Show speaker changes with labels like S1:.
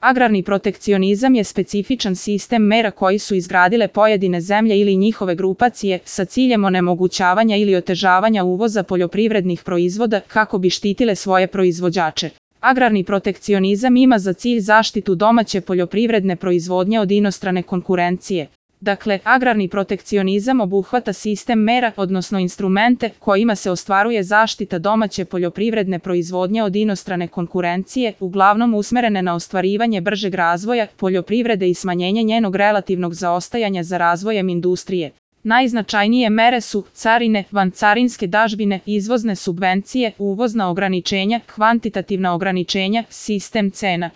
S1: Agrarni protekcionizam je specifičan sistem mera koji su izgradile pojedine zemlje ili njihove grupacije sa ciljem onemogućavanja ili otežavanja uvoza poljoprivrednih proizvoda kako bi štitile svoje proizvođače. Agrarni protekcionizam ima za cilj zaštitu domaće poljoprivredne proizvodnje od inostrane konkurencije. Dakle, agrarni protekcionizam obuhvata sistem mera, odnosno instrumente, kojima se ostvaruje zaštita domaće poljoprivredne proizvodnje od inostrane konkurencije, uglavnom usmerene na ostvarivanje bržeg razvoja poljoprivrede i smanjenje njenog relativnog zaostajanja za razvojem industrije. Najznačajnije mere su carine, vancarinske dažbine, izvozne subvencije, uvozna ograničenja, kvantitativna ograničenja, sistem cena.